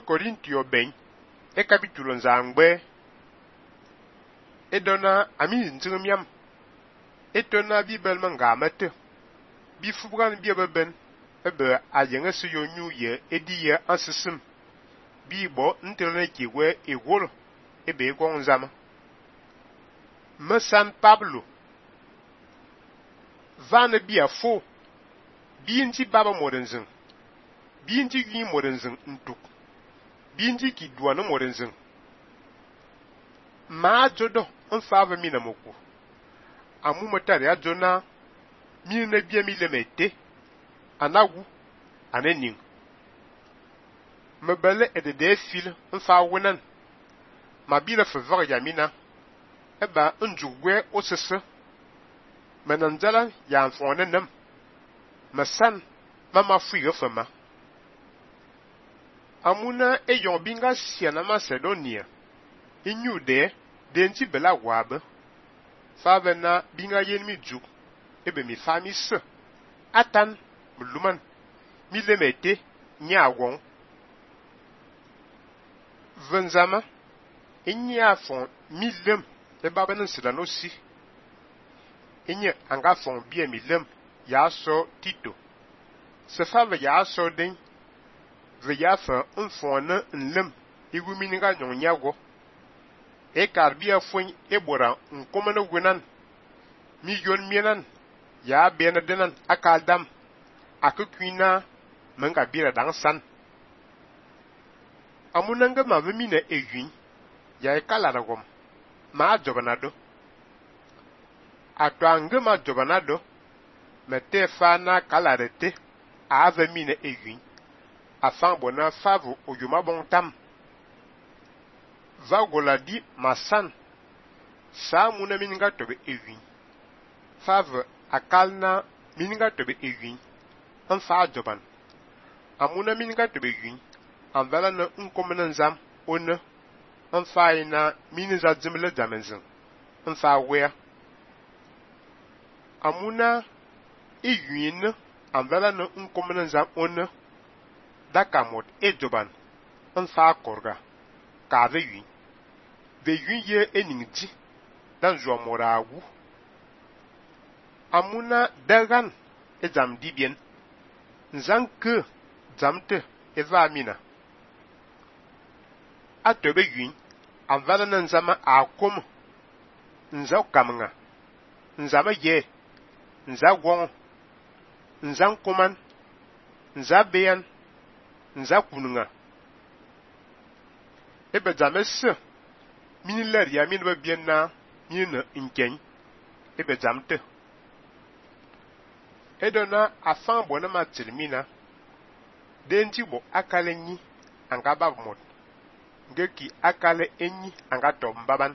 Corintio ben e capítulo nzangbe e dona ami nzimiam e tona Bible mangamete bi fubran bi beben ebe ayenga se yonyu ye ediye ansisim bi bo nterne kiwe egwolo ebe gonzama San Pablo van bia fo bi nti baba modenzin bi nti yi modenzin ntuk bi nti ki duana modenzin ma jodo nfava mina moku amu motari ajona mi na bia mi lemete anagu anening mebele de fil nfa wonan ma bi la favor yamina eba njugwe osese menanjala ya mfone nem masan mama fuiga fama amuna eyon binga siana Macedonia inyude denti bela wabe favena binga yenmi juk ebe mi famis atan muluman mi lemete nyawon venzama inya fon mi lem e baba nan sila no si inya anga fon bia mi lem ya so Tito se fava ya so den ve ya fa fon na nlem igumi ni ga nyon nyago e karbia fon e bora nkomana gwenan mi yon mienan ya bena denan akaldam akukwina menga bira dan san amunanga ma vemina ewin ya ekala ragom ma jobanado atwanga ma jobanado mete fana kalarete a vemina ewin afan bona favu oyuma bontam vagoladi masan sa muna mininga tobe ewin favu akalna mininga tobe ewin anfa joban amuna mininga tobe ewin anvala na nkomena nzam ona anfa ina miniza jimle jamenzin anfa wea amuna ewin anvala na nkomena nzam ona dakamot ejoban anfa korga ka ve ewin ye eningji dan zo morawu amuna dagan ejam dibien nzanke jamte eva mina atobe ewin anvala na nzama akom nza kamnga nzama ye nza gwon nzan koman nza beyan nza kununga ebe james miniler ya min ba bienna mina inken ebe jamte edona afan bona ma tilmina denti bo akale nyi anga babmot ngeki akale enyi anga tombaban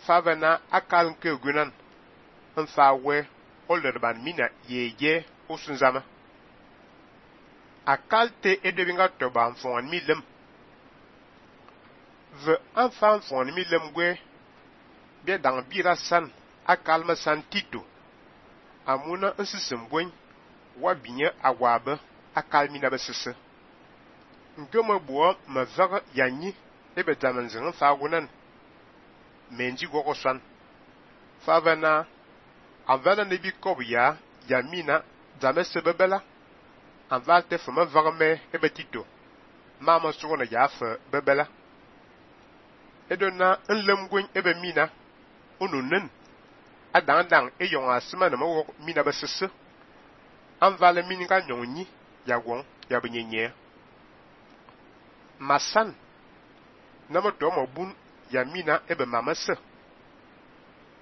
favana akal nke gunan nfa we olderban mina yeye usunzama akalte edebinga toba mfon milem ve enfant fon milem gwe be dang bira san akalma san Tito amuna nsisim bwen wa binya agwabe akalmina besese ngoma bo ma vaga yanyi ebe damanzin fa gunan menji gogosan favana avana nebi kobiya yamina damese bebela avalte fama varme ebe Tito mama sugona yafa bebela edona nlemgwen ebe mina onunen adandang eyon asima na mawo mina besese anvale mininga nyonyi yawon yabenyenye masan namo to mobun yamina ebe mamase